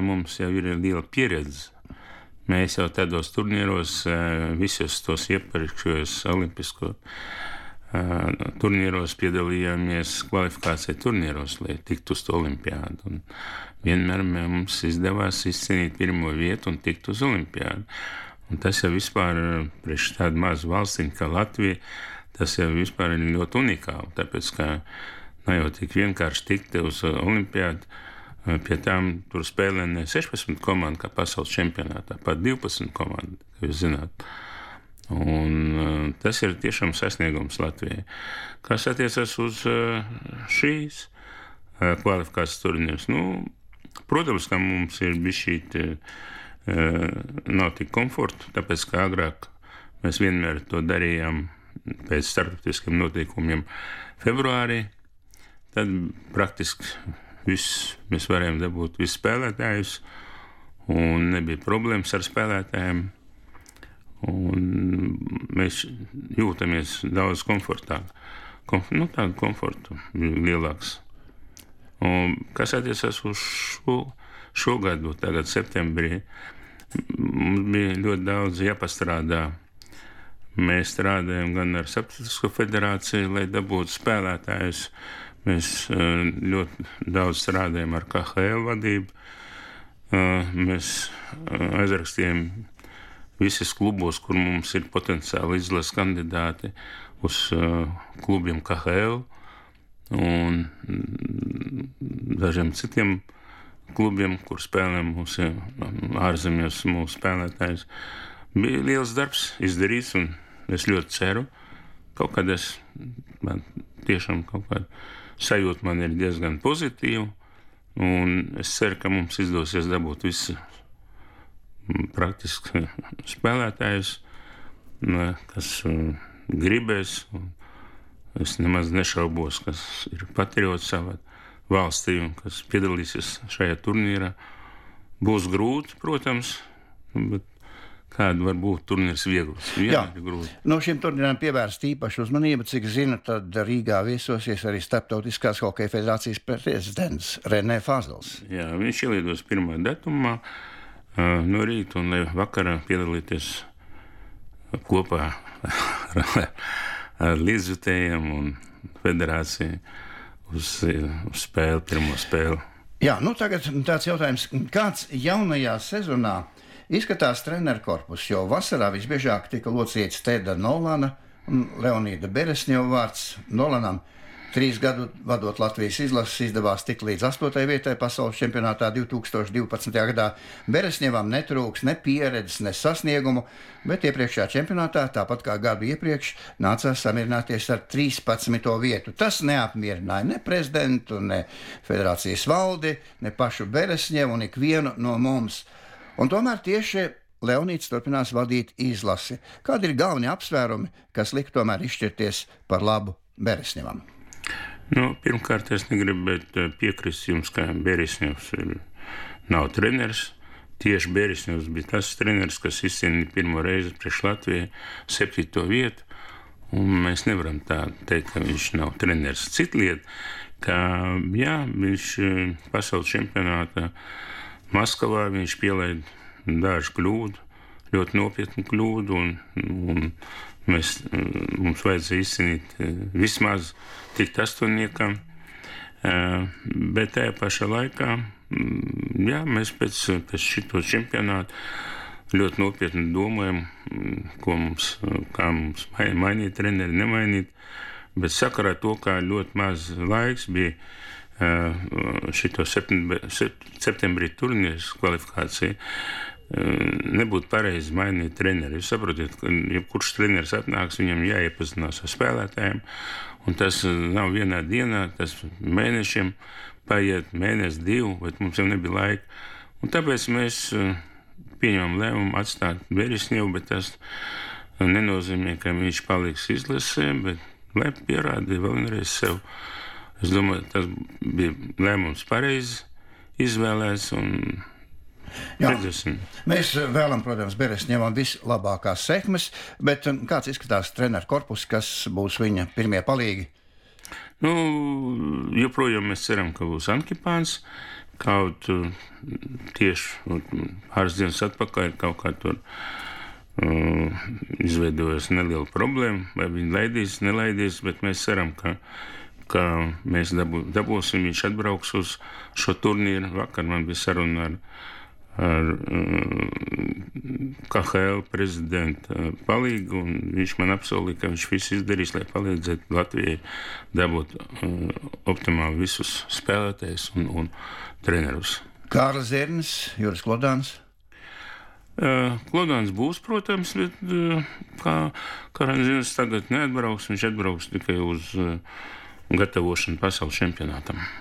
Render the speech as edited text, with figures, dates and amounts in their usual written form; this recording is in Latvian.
mums jau ir liela pieredze. Mēs jau tādos turnīros, visos tos iepriekšējos olimpisko turnīros piedalījāmies kvalifikācija turnīros, lai tiktu uz to olimpiādu. Un vienmēr mums izdevās izcīnīt pirmo vietu un tikt uz olimpiādu. Un tas jau vispār, priekš tādu mazu valstiņu kā Latvija, tas jau vispār ir ļoti unikāli, tāpēc, ka nav jau tik vienkārši tikt uz olimpiādu, pie tām tur spēlē ne 16 komandu, kā pasaules čempionātā, pat 12 komandu, kā jūs zināt. Un tas ir tiešām sasniegums Latvijai. Kas attiecas uz šīs kvalifikācijas turnīrus, protams, ka mums ir bišķīt nav tik komforta, tāpēc, ka agrāk mēs vienmēr to darījām pēc starptautiskiem noteikumiem februārī, tad praktiski mēs varējām dabūt visus spēlētājus, un nebija problēmas ar spēlētājiem, un mēs jūtamies daudz komfortāk. Tādu komfortu lielāks. Un kas attiecas uz šogad, tagad septembrī, mums bija ļoti daudz jāpastrādā. Mēs strādājam gan ar Starptautisko federāciju, lai dabūtu spēlētājus. Mēs ļoti daudz strādājam ar KHL vadību. Mēs aizrakstījām visus klubos, kur mums ir potenciāli izlases kandidāti uz klubiem KHL un dažiem citiem klubiem, kur spēlēm mūsu ārzemēs mūsu spēlētājs. Bija liels darbs izdarīts, un es ļoti ceru, kaut kad man tiešām kaut kāda sajūta man ir diezgan pozitīva, un es ceru, ka mums izdosies dabūt visu praktiski spēlētājus, kas gribēs. Es nemaz nešaubos, kas ir patriots savā valstī un kas piedalīsies šajā turnīrā. Būs grūti, protams, bet kāda var būt turnīrs viegls? No šiem turnīrām pievērst īpašu uzmanību, cik zinu, tad Rīgā viesosies arī Starptautiskās hokeja federācijas prezidents Renē Fazels. Jā, viņš ielidos 1. datumā no rīta un lai vakarā piedalīties kopā ar līdzjutējiem un federāciju uz spēli, pirmo spēli. Jā, tagad tāds jautājums, kāds jaunajā sezonā izskatās treneru korpus, jo vasarā visbiežāk tika locīts Tēda Nolana un Leonīda Beresņeva vārds. Nolanam 3 gadu vadot Latvijas izlases izdevās tikt līdz 8. vietai pasaules čempionātā 2012. gadā. Beresņevam netrūks ne pieredzes, ne sasniegumu, bet iepriekšējā čempionātā, tāpat kā gadu iepriekš, nācās samierināties ar 13. vietu. Tas neapmierināja ne prezidentu, ne federācijas valdi, ne pašu Beresņevu un ikvienu no mums. Un tomēr tieši Leonīds turpinās vadīt izlasi. Kādi ir galvenie apsvērumi, kas lika tomēr izšķirties par labu Beresņevam? Pirmkārt, es negribu piekrist jums, ka Beresņevs nav treneris. Tieši Beresņevs bija tas treneris, kas izcīnīja pirmo reizi priekš Latvijai 7. vietu, un mēs nevaram tā teikt, ka viņš nav treneris. Cita lieta, ka viņš pasaules čempionātā Maskavā viņš pielaida dažu kļūdu, ļoti nopietnu kļūdu, un mums vajadzēja izcīnīt vismaz tikt 8. Bet tajā pašā laikā, mēs pēc šito čempionātu ļoti nopietni domājam, kā mums mainīt treneri, nemainīt, bet sakarā to, kā ļoti maz laiks bija šito septembrī turnīrs kvalifikācija, nebūtu pareizi mainīt treneri. Jūs saprotiet, ka jebkurš treneris atnāks, viņam jāiepazinās ar spēlētājiem, un tas nav vienā dienā, tas mēnešiem paiet, mēnesi, 2, bet mums jau nebija laika. Un tāpēc mēs pieņemam lēmumu atstāt Beresņevu, bet tas nenozīmē, ka viņš paliks izlasē, bet lai pierādīja vēlreiz sev. Es domāju, tas bija lēmums pareizi izvēlēts un redzēsim. Mēs vēlam, protams, Beresņevam vislabākās sekmes, bet kāds izskatās treneru korpus, kas būs viņa pirmie palīgi? Joprojām mēs ceram, ka būs Ankipāns. Kaut tieši pāris dienas atpakaļ kaut kā tur izveidojas neliela problēma, vai viņi laidīs, nelaidīs, bet mēs ceram, ka mēs dabūsim, viņš atbrauks uz šo turnīru. Vakar man bija saruna ar KHL prezidenta palīgu, un viņš man apsolīja, ka viņš visu izdarīs, lai palīdzētu Latvijai dabūt optimāli visus spēlētājus un trenerus. Kārlis Zirnis, Juris Klodāns. Klodāns būs, protams, bet kā Zirnis tagad neatbrauks, viņš atbrauks tikai uz gatavošanu pasaules čempionātam.